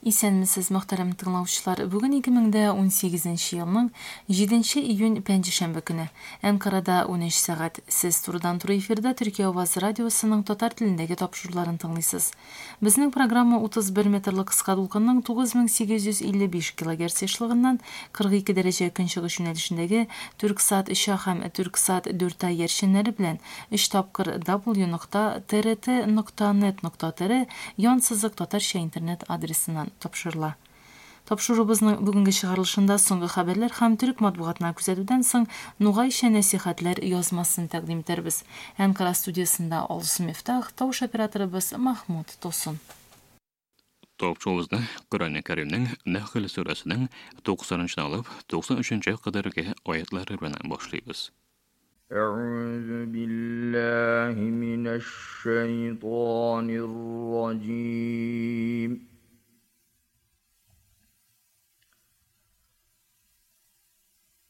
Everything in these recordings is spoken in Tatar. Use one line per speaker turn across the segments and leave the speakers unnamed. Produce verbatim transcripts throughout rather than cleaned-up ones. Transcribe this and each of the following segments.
Исәнмесез, мөхтәрәм тыңлаучылар. Бүген ике мең дә унсигезенче елның җиденче июнь пәнҗешәмбе көне. Әнкарада унөч сәгать. Сез турыдан-туры эфирда Төркия авазы радиосының татар телендәге тапшыруларын тыңлыйсыз. Безнең программа утыз бер метрлы кыска дулкынның тугыз мең сигез йөз илле биш килогерц ешлыгыннан кырык ике дәрәҗә көнчыгыш юнәлешендәге Түрксат өч А һәм Түрксат дүрт А иярченнәре белән өч тапкыр W нокта Т Р Т нокта нет нокта Т Р янсызык татарча интернет адресыннан тапшырыла. Тапшыруыбызның бүгенге чыгарылышында соңгы хәбәрләр һәм төрек матбугатына күзәтүдән соң Нугайча нәсихәтләр язмасын тәкъдим итәрбез. Әнкара студиясендә Алсу Мифтах, тавыш операторыбыз Махмуд Тосын.
Тапшыруыбызны Коръән Кәримнең Нәхл сүрәсенең туксанынчы алып туксан өченче кадәрге аятлары белән башлыйбыз.
أعوذ بالله من الشيطان الرجيم.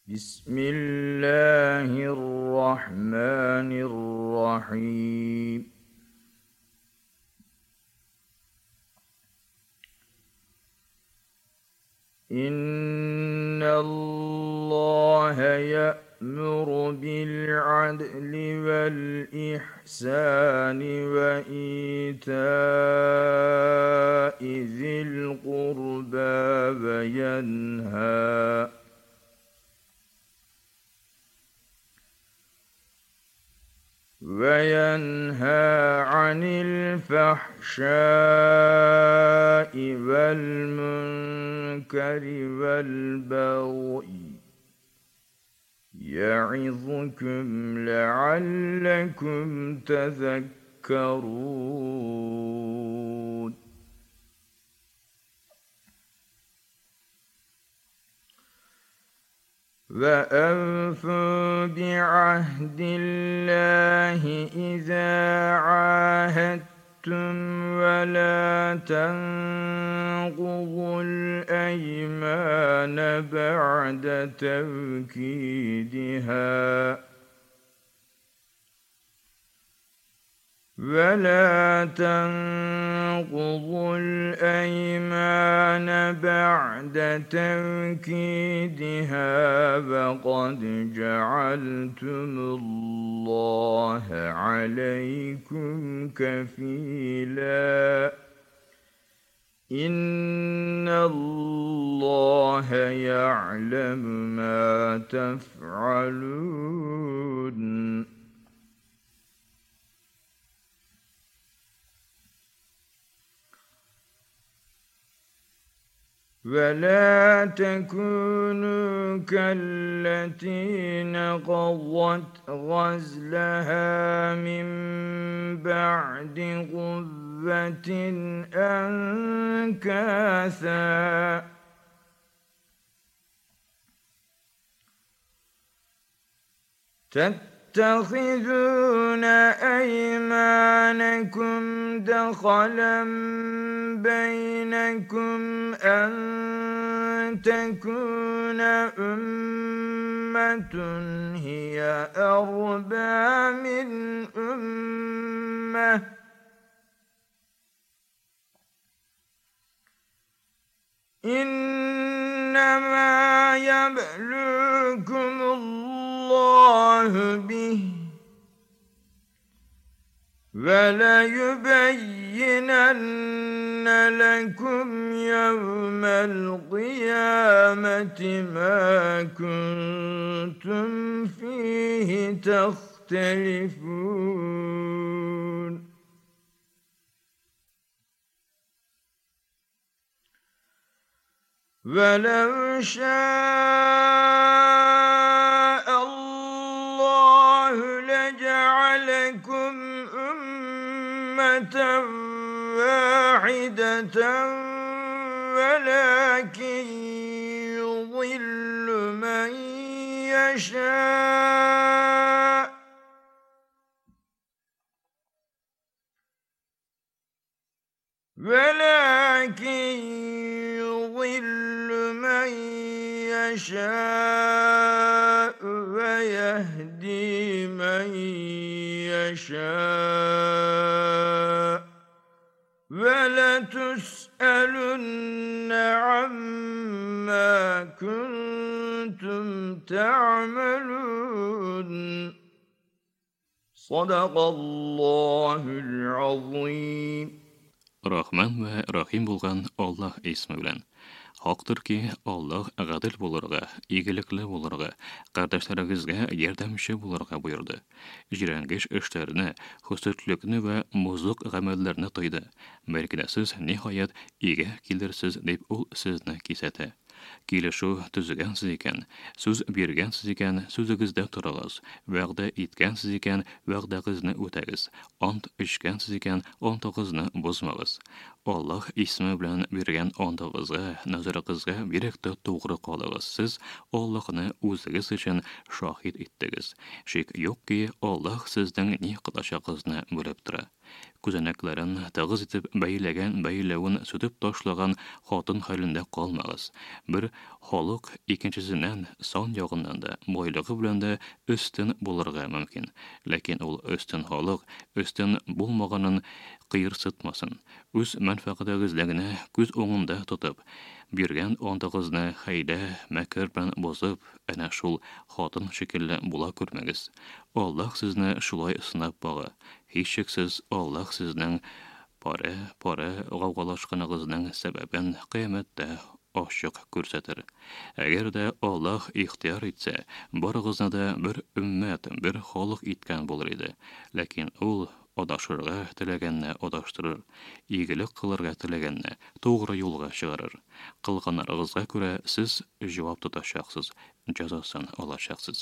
بسم الله الرحمن الرحيم. إن الله يأمر بالعدل والإحسان وإيتاء ذي القربى وينهى وينهى عن الفحشاء والمنكر والبغي يعظكم لعلكم تذكرون. وأوفوا بعهد الله إذا عاهدتم ولا تنقضوا الأيمان بعد توكيدها ولا تنقضوا الأيمان بعد توكيدها وقد جعلتم الله عليكم كفيلا إن الله يعلم ما تفعلون. ولا تكونوا كالتي نقضت غزلها من بعد قوة أنكاثا تتخذون أيمانكم دخلا بينكم أن تكون أمة هي أربى من أمة إنما يبلوكم الله به وليبينن لكم يوم القيامة ما كنتم فيه تختلفون. ولو شاء الله لجعلكم أمة واحدة ولكن يضل من يشاء ولكن يضل من يشاء ويهدي من يشاء. ولتسألن عما كنتم تعملون. صدق الله العظيم.
Rahman va Rahim bo'lgan Alloh ismi bilan. Haqdirki, Alloh adil bo'lirga, igilikli bo'lirga, qardaşlarыңызга yordamchi bo'lirga buyurdi. Jirangish ishlarni, husudlikni va muzluq amallarni tıydı. Belki de siz nihayet iyiga kelirsiz deb ul sizni kesati. Kelishuv tuzgansiz ekan, so'z bergansiz ekan, so'zingizda turingiz, va'da etgansiz ekan, va'dangizni o'tangiz, ont ichgansiz ekan, ontingizni buzmangiz. Alloh ismi bilan bergan ontingizga, nazaringizga berikda to'g'ri qolingiz. Siz Allohni o'zingiz uchun shohid etdingiz. Shak yo'qki, Alloh sizning ne qilishing'izni bilib turadi. Ko'zanaklarin tig'iz etib baylagan baylavin sutib tashlagan xotin holida qolmag'iz. Bir xoliq ikkinchisidan son yog'indan da, boyligi bilan da ustun bo'lirga mumkin. Lekin ul ustun xoliq ustun bo'lmaganin qiyirsitmasin. O'z manfaatingizligini ko'z o'ngida tutib, bergan ontig'izni hayda makr bilan buzib, ana shul xotin shekilli bo'la ko'rmangiz. Alloh sizni shulay sinab bog'i. Hech shaksiz Alloh sizning pora-pora g'avg'alashganingizning sababini qiyomatda ochiq ko'rsatir. Agarda Alloh ixtiyor etsa, barig'izni da bir ummat, bir xalq etgan bo'lar edi. Lekin ul adashirga tilaganni adashtirir, igilik qilirga tilaganni to'g'ri yo'lga chiqarir. Qilganlaringizga ko'ra siz javob tutashaqsiz, jazosini olashaqsiz.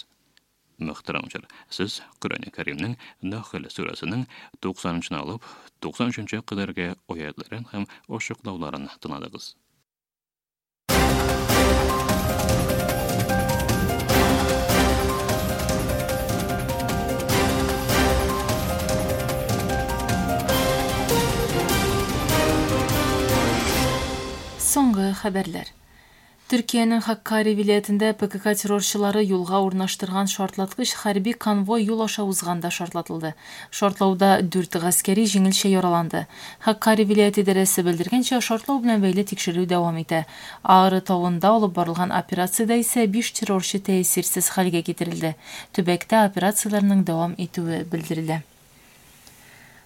Muhtaramlar, siz Qur'oni Karimning Nahl surasining to'qsoninchi olib to'qson uchinchi qadargi oyatlarini ham ochiqlovlarini tingladingiz.
So'nggi xabarlar. Türkiye'nin Hakkari vilayetinde P K K terrorçıları yolga o'rnashtirgan şartlatqıç harbiy konvoy yo'l osha uzganda şartlatıldı. Şartlavda dört askeri jengilcha yaralandı. Hakkari vilayeti idarasi bildirgancha, şartlav bilan bog'liq tekshiruv davom eta. Ağrı tog'ida olib borilgan operatsiyada esa besh terrorchi ta'sirsiz holga keltirildi. Tubakda operatsiyalarning davom etuvi bildirildi.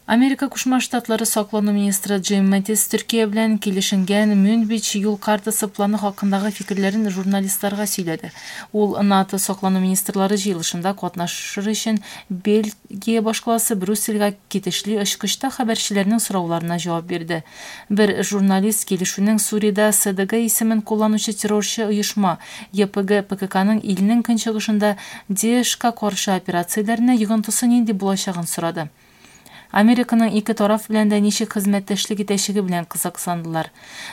Amerika Qo'shma Shtatlari saqlanma ministri Jim Mattis Türkiye bilan kelishilgan Münbij yo'l kartası planı haqındagı fikrlerini jurnalistlarga сөйлedi. Ул НАТО saqlanma ministrlari jıyılışında qatnashır üçün Belgiya başqalası Brüsselga ketishli очкычта xəbərçilərinin sorawlarına javob berdi. Bir jurnalist kelishuvning Suriyada S D G ismin kullanıcı terrorchi uyuşma Y P G P K K'nın ilinin künçıgışında DAEŞ'ga qarşı operatsiyalarına yığıntısı nindi bulacağını soradı. Amerika'nın iki taraf bilan da nechik xizmatdoshlik etishigi bilan qiziqsandilar.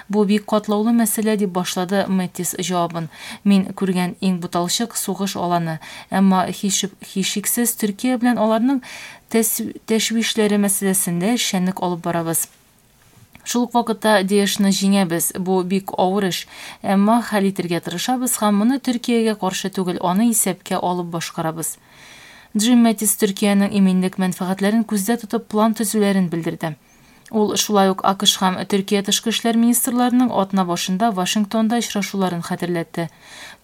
Bu bek qatlovli masala deb boshladi Mattis javobini. Men ko'rgan eng butalchiq so'g'ish olani, ammo hech Turkiya bilan ularning tashvishlari masalasida ishchanlik olib boramiz. Шул ук вакытта DAEŞ'ni җиңәбез. Бу бик авыр эш, әмма хәл итәргә тырышабыз һәм моны Төркиягә каршы түгел, аны исәпкә алып башкарабыз. Jim Mattis Türkiye'nin eminlik mənfəətlərini күздә тотып план төзүләрен белдерде. Ул шулай ук А К Ш һәм Төркия тышкы эшләр министрларының атна башында Вашингтонда очрашуларын хәтерләтте.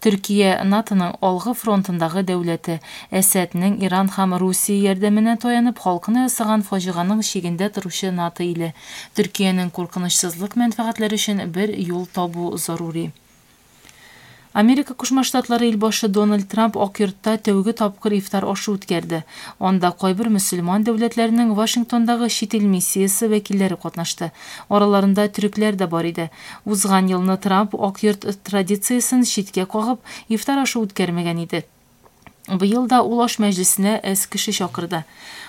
Төркия НАТОның алгы фронтындагы дәүләте, Әсәднең Иран һәм Русия ярдәменә таянып халкына ясаган фаҗиганың чигендә торучы НАТО иле. Төркиянең куркынычсызлык мәнфәгатьләре өчен бер юл табу зарури. Америка Qo'shma Shtatlari elbaşı Donald Tramp Oq yurtda tәүге тапкыр ифтар ашы үткәрде. Анда кайбер мөселман дәүләтләренең Вашингтондагы чит ил миссиясе вәкилләре катнашты. Араларында төрекләр дә бар иде. Узган елны Трамп Ак йорт традициясен читкә кагып, ифтар ашы үткәрмәгән иде. Быел да ул аш мәҗлесенә әз кеше чакырды.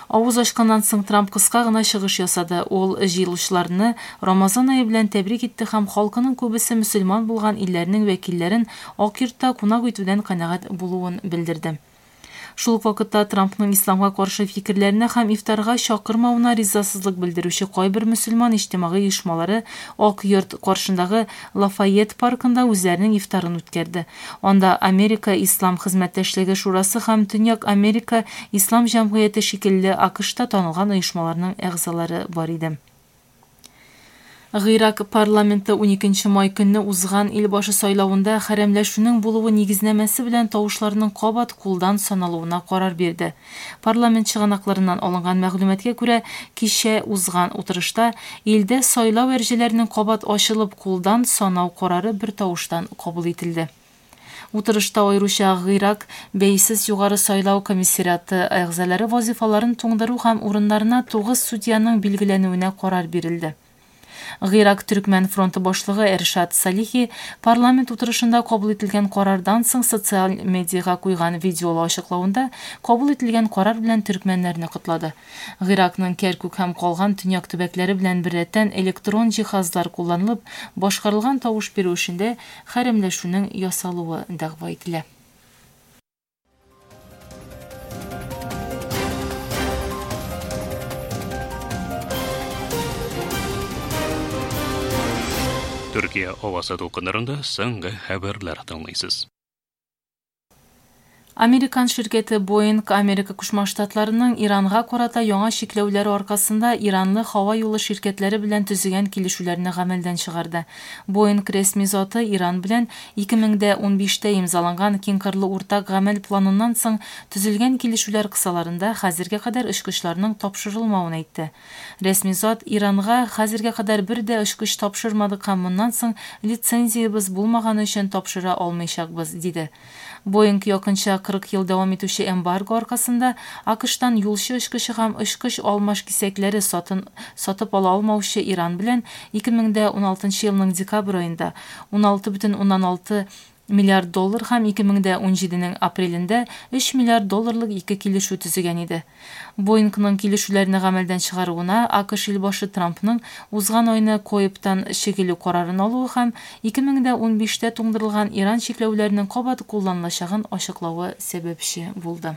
Авыз ачканнан соң Трамп кыска гына чыгыш ясады. Ул җыелучыларны Рамазан ае белән тәбрик итте һәм халкының күбесе мөселман булган илләрнең вәкилләрен Ак йортта кунак итүдән канәгать булуын белдерде. Шул ук вакытта Трампның исламга каршы фикерләренә һәм ифтарга чакырмавына ризасызлык белдерүче кайбер мөселман иҗтимагый оешмалары Ак йорт каршындагы Лафайет паркында үзләренең ифтарын үткәрде. Анда Америка Ислам хезмәттәшлеге шурасы һәм Төньяк Америка Ислам җәмгыяте шикелле А К Шта танылган оешмаларның әгъзалары бар иде. Гыйрак парламенты уникенче май көнне узган илбашы сайлавында хәрәмләшүнең булуы нигезнамәсе белән тавышларның кабат кулдан саналуына карар бирде. Парламент чыганакларыннан алынган мәгълүматка күрә, кичә узган утырышта илдә сайлау әрҗәләренең кабат ачылып кулдан санау карары бер тавыштан кабул ителде. Утырышта аеруча Гыйрак бәйсез югары сайлау комиссариаты әгъзалары вазифаларын туңдыру һәм урыннарына тугыз судьяның билгеләнүенә карар бирелде. Гыйрак Төркмән фронты башлыгы Эршат Салихи парламент утырышында кабул ителгән карардан соң социаль медиага куйган видеолы ачыклавында кабул ителгән карар белән төркмәннәрне котлады. Гыйракның Кәркүк һәм калган төньяк төбәкләре белән беррәттән электрон җиһазлар кулланылып башкарылган тавыш бирү эшендә хәрәмләшүнең ясалуы дәгъва ителә.
Төркия авазы дулкыннарында соңгы хәбәрләр тыңлыйсыз.
Американ ширкәте Boeing Америка Кушма Штатларының Иранга карата яңа чикләүләре аркасында Иранлы һава юлы ширкәтләре белән төзегән килешүләрне гамәлдән чыгарды. Boeing рәсми заты Иран белән ике мең дә унбиштә имзаланган киңкырлы уртак гамәл планыннан соң төзелгән килешүләр кысаларында хәзергә кадәр очкычларның тапшырылмавын әйтте. Рәсми зат Иранга хәзергә кадәр бер дә очкыч тапшырмадык һәм моннан соң лицензиябез булмаганы өчен тапшыра алмыйчакбыз, диде. Boeing якынча кырык ел дәвам итүче эмбарго аркасында АКШтан юлчы очкычы һәм очкыч алмаш кисәкләре сатын, сатып ала алмаучы Иран белән ике мең дә уналтынчы елның декабрь аенда уналты бөтен уннан алты миллиард доллар һәм ике мең дә унҗиденең апрелендә өч миллиард долларлык ике килешү төзегән иде. Боингның килешүләрне гамәлдән чыгаруына АКШ илбашы Трампның узган айны КОИБтан чигелү карарын алуы һәм ике мең дә унбиштә туңдырылган Иран чикләүләренең кабат кулланылачагын ачыклавы сәбәпче булды.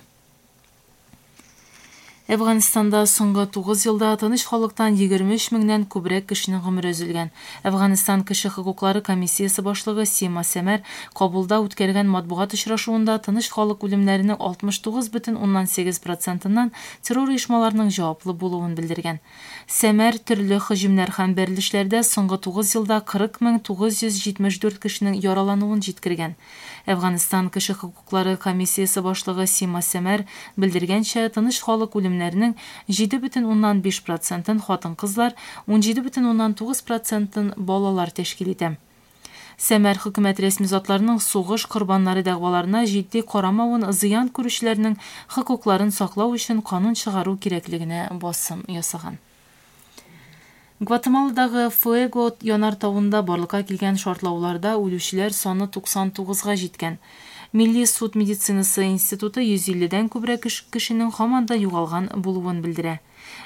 Әфганстанда соңгы тугыз елда тыныч халыктан егерме өч меңнән күбрәк кешенең гомере өзелгән. Әфганстан кеше хокуклары комиссиясе башлыгы Сима Сәмәр Кабулда үткәргән матбугат очрашуында тыныч халык үлемнәренең алтмыш тугыз бөтен уннан сигез процентыннан террор оешмаларының җаваплы булуын белдергән. Сәмәр төрле һөҗүмнәр һәм бәрелешләрдә соңгы тугыз елда кырык мең тугыз йөз җитмеш дүрт кешенең яралануын җиткергән. Әфганстан кеше хокуклары комиссиясе башлыгы Сима Сәмәр белдергәнчә, тыныч халык үлемнәренең җиде бөтен уннан биш процентын хатын-кызлар, унҗиде бөтен уннан тугыз процентын балалар тәшкил итә. Сәмәр хөкүмәт рәсми затларының сугыш корбаннары дәгъваларына җитди карамавын, зыян күрүчеләрнең хокукларын саклау өчен канун чыгару кирәклегенә басым ясаган. Гватемаладагы Фуэго янар тавында барлыкка килгән шартлауларда үлүчеләр саны туксан тугызга җиткән. Милли суд медицинасы институты йөз илледән күбрәк кешенең һаман да югалган булуын белдерә.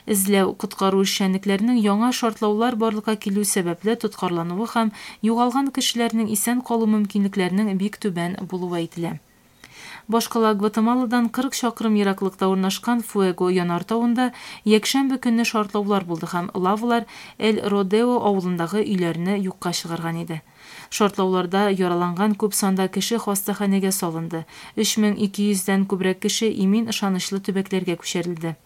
Эзләү коткару эшчәнлекләренең яңа шартлаулар барлыкка килү сәбәпле тоткарлануы һәм югалган кешеләрнең исән калу мөмкинлекләренең бик түбән булуы әйтелә. Башкала Гватемаладан кырык чакрым ераклыкта урнашкан Фуэго янар тавында якшәмбе көнне шартлаулар булды һәм лавалар Эль Родео авылындагы өйләрне юкка чыгарган иде. Шартлауларда яраланган күп санда кеше хастаханәгә салынды. Өч мең ике йөздән күбрәк кеше имин ышанычлы төбәкләргә күчерелде.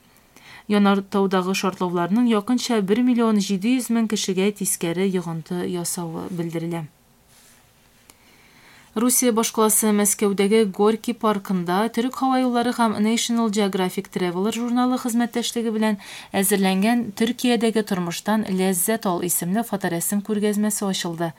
Янар таудагы шартлауларның якынча бер миллион җиде йөз мең кешегә тискәре йогынты ясавы белдерелә. Русия башкаласы Мәскәүдәге Горький паркында Төрек һава юллары һәм National Geographic Traveler журналы хезмәттәшлеге белән әзерләнгән Төркиядәге тормыштан ләззәт ал исемле фоторәсем күргәзмәсе ачылды.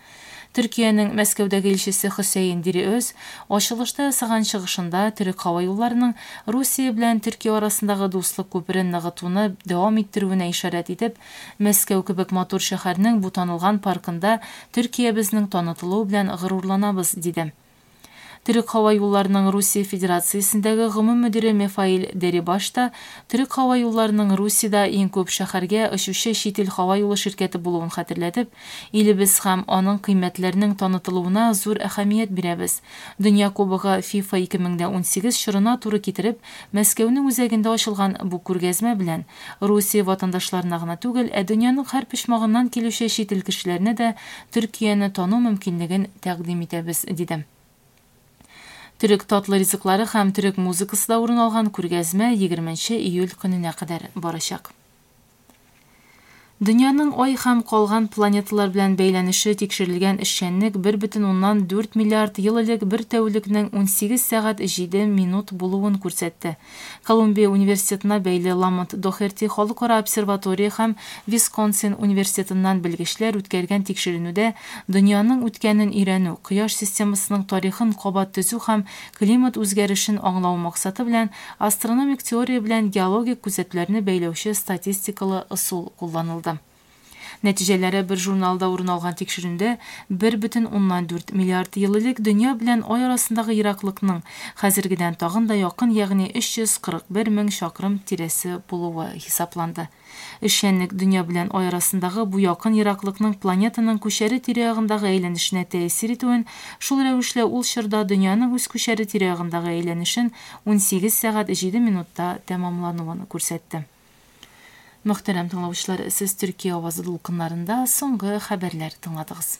Төркиянең Мәскәүдәге илчесе Хөсәен Дириөз ачылышта ясаган чыгышында Төрек һава юлларының Русия белән Төркия арасындагы дуслык күперен ныгытуны дәвам иттерүенә ишарәт итеп, Мәскәү кебек матур шәһәрнең бу танылган паркында Төркиябезнең танытылуы белән горурланабыз, диде. Төрек һава юлларының Русия Федерациясендәге гомум мөдире Мефаил Дерибаш та Төрек һава юлларының Русиядә иң күп шәһәргә очучы чит ил һава юлы ширкәте булуын хәтерләтеп, илебез һәм аның кыйммәтләренең танытылуына зур әһәмият бирәбез. Дөнья кубогы FIFA ике мең дә унсигез чорына туры китереп, Мәскәүнең үзәгендә ачылган бу күргәзмә белән Русия ватандашларына гына түгел, ә дөньяның һәр почмагыннан килүче чит ил кешеләренә дә Төркияне тану мөмкинлеген тәкъдим итәбез, диде. Төрек татлы ризыклары һәм төрек музыкасы да урын алган күргәзмә егерменче июль көненә кадәр барачак. Дөньяның Ай һәм калган планеталар белән бәйләнеше тикшерелгән эшчәнлек бер бөтен уннан дүрт миллиард ел элек бер тәүлекнең унсигез сәгать җиде минут булуын күрсәтте. Колумбия университетына бәйле Ламонт Дохерти халыкара обсерватория һәм Висконсин университетыннан белгечләр үткәргән тикшеренүдә дөньяның үткәнен өйрәнү, Кояш системасының тарихын кабат төзү һәм климат үзгәрешен аңлау максаты белән астрономик теория белән геологик күзәтүләрне бәйләүче статистикалы ысул кулланылды. Нәтиҗәләре бер журналда урын алган тикшерүндә бер бөтен уннан дүрт миллиард ел элек дөнья белән Ай арасындагы ераклыкның хәзергедән тагын да якын, ягъни өч йөз кырык бер мең чакрым тирәсе булуы хисапланды. Эшчәнлек дөнья белән Ай арасындагы бу якын ераклыкның планетаның күчәре тирә-ягындагы әйләнешенә тәэсир итүен, шул рәвешле ул чорда дөньяның үз күчәре тирә-ягындагы әйләнешен унсигез сәгать җиде минутта тәмамлануын күрсәтте. Мөхтәрәм тыңлаучылар, сез Төркия авазы дулкыннарында соңгы хәбәрләр тыңладыгыз.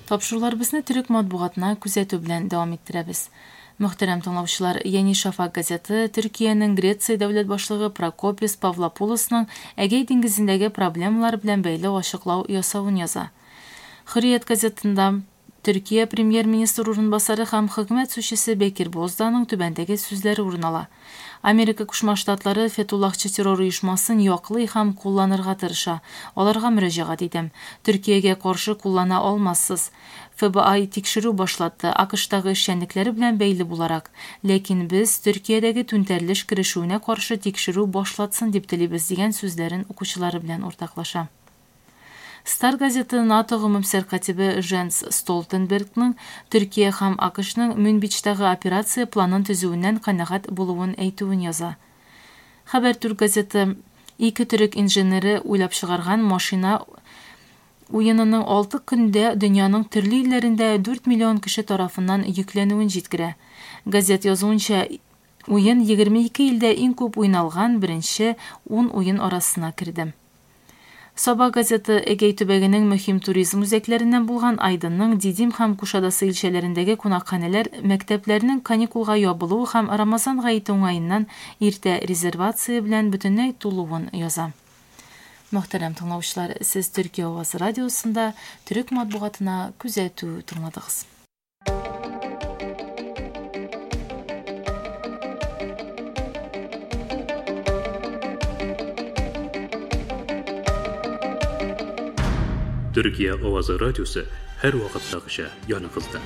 Тапшыруларыбызны төрек матбугатына күзәтү белән дәвам иттерәбез. Мөхтәрәм тыңлаучылар, Yeni Şafak газеты Төркиянең Греция дәүләт башлыгы Прокопис Павлопулосның Эгей диңгезендәге проблемалар белән бәйле ачыклау ясавын яза. Hürriyet газетында Төркия премьер-министр урынбасары һәм хөкүмәт сүзчесе Бекир Бозданың түбәндәге сүзләре урын ала. Америка Кушма Штатлары Фетуллахчы террор оешмасын яклый һәм кулланырга тырыша. Аларга мөрәҗәгать итәм. Төркиягә каршы куллана алмассыз. Эф Б I тикшерү башлатты, АКШтагы эшчәнлекләре белән бәйле буларак. Ләкин без Төркиядәге түнтәрелеш керешүенә каршы тикшерү башлатсын дип телибез дигән сүзләрен укучылары белән уртаклаша. Star газеты НАТО гомум сәркатибе Женс Столтенбергның Төркия һәм АКШның Мюнбичтагы операция планын төзүеннән канәгать булуын әйтүен яза. Хәбәр Түрк газеты ике төрек инженеры уйлап чыгарган машина уенының алты көндә дөньяның төрле илләрендә дүрт миллион кеше тарафыннан йөкләнүен җиткерә. Газет язуынча, уен егерме ике илдә иң күп уйналган беренче ун уен арасына керде. Саба газеты Эгей төбәгенең мөһим туризм үзәкләреннән булган Айдынның Дидим һәм Кушадасы илчәләрендәге кунакханәләр мәктәпләрнең каникулга ябылуы һәм Рамазан гаете уңаеннан иртә резервация белән бөтенләй тулуын яза. Мөхтәрәм тыңлаучылар, сез Төркия авазы радиосында төрек матбугатына күзәтү тыңладыгыз.
Türkiye Ovazı Radyosu her vakittagıcha yanıgızda.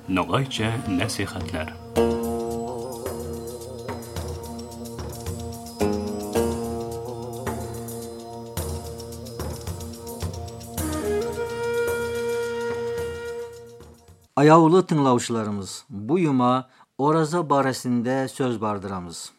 Noğaycha nasihatlar.
Ayavlı tınglavşılarımız, bu yuma Oraza baresinde söz bardıramız.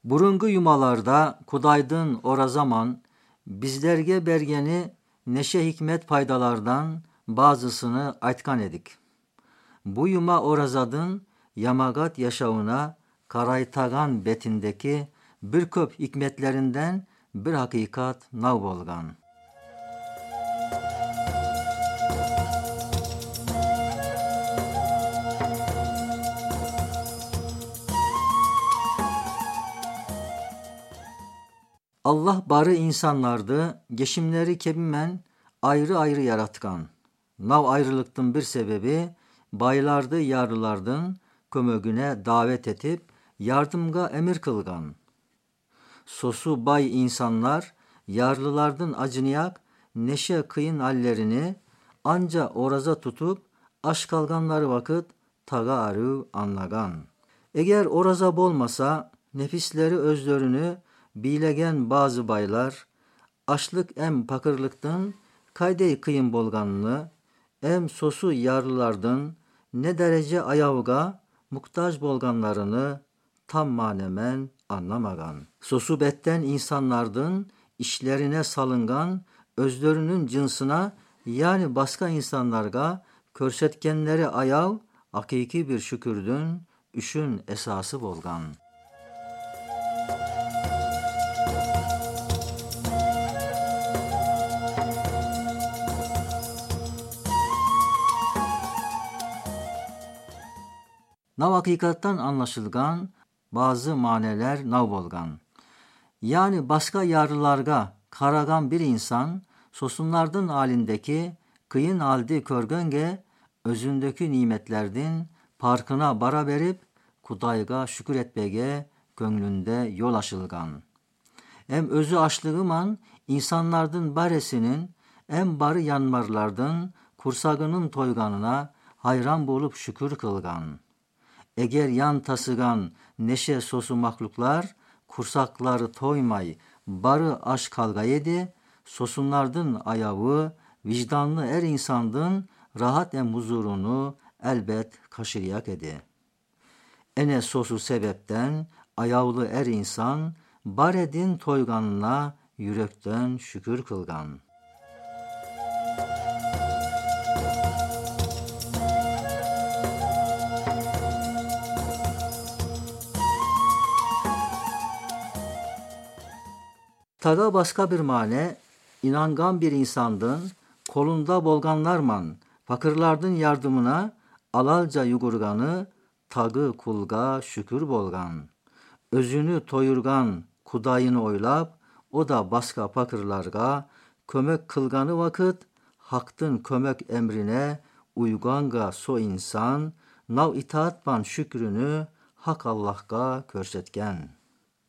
Burungu yumalarda Kudaydın Orazaman bizlerge bergeni neşe hikmet paydalardan bazısını aytkan edik. Bu yuma Orazadın Yamagat yaşavına Karaytagan betindeki bir köp hikmetlerinden bir hakikat nav bolgan. Allah barı insanlardı, geçimleri kebimen ayrı ayrı yaratkan. Nav ayrılıktın bir sebebi, baylardı yarılardın, kömögüne davet etip yardımga emir kılgan. Sosu bay insanlar yarlılardın acınıyak neşe kıyın hallerini anca oraza tutup aş kalganları vakit taga arı anlagan. Eğer oraza bolmasa nefisleri özlerini bilegen bazı baylar Ашлык эм пакырлыктын кайдей кыйын болганыны, эм сосу ярлылардын ne derece ayavga muhtaç bolganlarını tam manemen anlamagan. Sosubetten insanlardın işlerine salıngan özlerinin cinsına yani başka insanlarga körsetkenleri ayav hakiki bir şükürdün üşün esası bolgan. Nav hakikattan anlaşılgan bazı maneler nav bolgan. Yani başka yarılarga karagan bir insan sosunlardın halindeki kıyın haldi körgönge özündeki nimetlerdin parkına bara berip kudayga şükür etmege gönlünde yol aşılgan. Hem özü açlığıman insanlardın baresinin hem barı yanmarlardın kursagının toyganına hayran bolup şükür kılgan. Eğer yan tasıgan neşe sosu mahluklar kursakları toymay barı aş kalga yedi, sosunlardın ayağı vicdanlı er insandın rahat em huzurunu elbet kaşıryak edi. Ene sosu sebepten ayavlı er insan baredin toyganına yürekten şükür kılgan. Taga başka bir mane, inangan bir insandın, kolunda bolganlarman, fakirlardın yardımına alalca yugurganı, tagı kulga şükür bolgan. Özünü toyurgan kudayını oylap, o da başka fakirlarga kömek kılganı vakit, haktın kömek emrine uyganga so insan, nav itaatban şükrünü hak Allah'ga körsetken.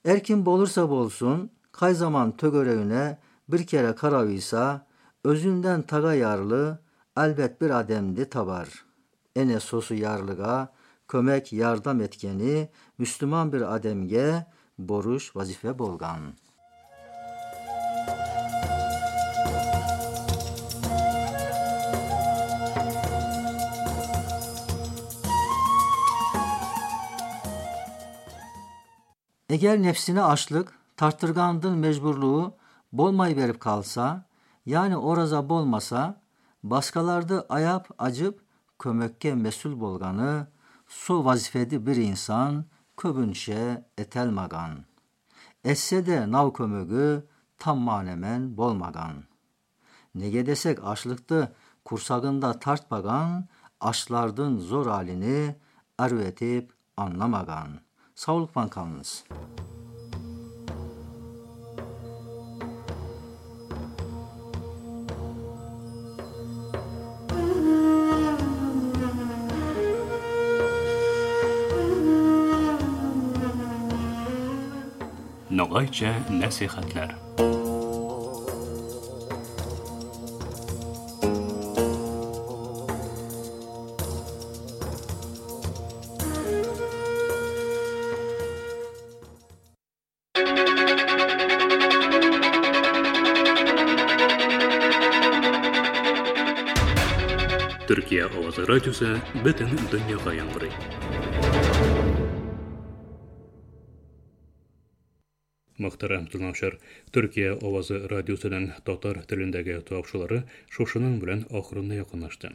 Erkin bolursa bolsun, kay zaman tögöreğine bir kere karavıysa, özünden taga yarlı, elbet bir ademdi tabar. Ene sosu yarlıga, kömek yardım etkeni, Müslüman bir ademge boruş vazife bolgan. Eğer nefsine açlık, tarttırgandın mecburluğu bolmay verip kalsa, yani oraza bolmasa, başkalardı ayap acıp kömekke mesul bolganı, so vazifedi bir insan köbünşe etelmagan. Etse de nav kömögü tam manemen bolmagan. Nege desek açlıktı kursagında tartmagan, açlardın zor halini ervetip anlamagan. Sağlıkman kalınız.
Nogaycha nasihatlar. Türkiye Ovozi radiosi butun dunyoga yangraydi. Muhterem tinglovchilar, Türkiye Ovozi radiosining tatar tilindagi topshiriqlari shushuning bilan oxirina yaqinlashdi.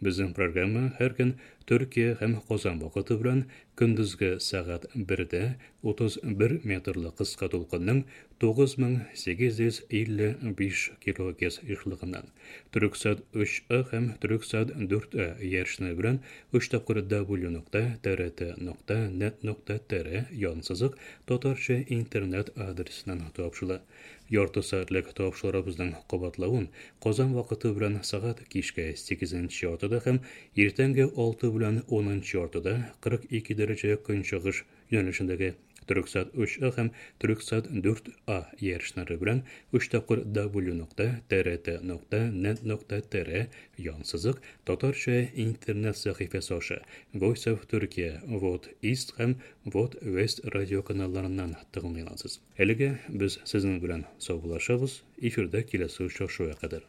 Bizning programma har kun Türkiye ham Qozon vaqti bilan kunduzgi soat birda o'ttiz bir metrli qisqa to'lqinning to'qqiz ming sakkiz yuz ellik besh kilogerts ishlig'idan Turksat uch A ham Turksat to'rt A yerishni bilan uch tapqir W nuqta T R T nuqta net nuqta T R yon siziq tatarcha internet adresidan topshila. Yorti soatlik topshiriqlarimizning qabatlavun Qozon vaqti bilan soat kechki sakkizinchi yortida ham ertangi olti bilan o'ninchi yortida qirq ikki daraja kunchig'ish yo'nalishidagi Türksat өч А һәм Türksat дүрт А иярченнәре белән өч тапкыр W нокта T R T нокта нет нокта T R янсызык татарча интернет сәхифәсе аша Voice of Turkey, V O T East һәм V O T West радио каналларыннан тыңлый аласыз. Әлегә без сезнең белән саубуллашабыз, эфирда киләсе очрашуга кадәр.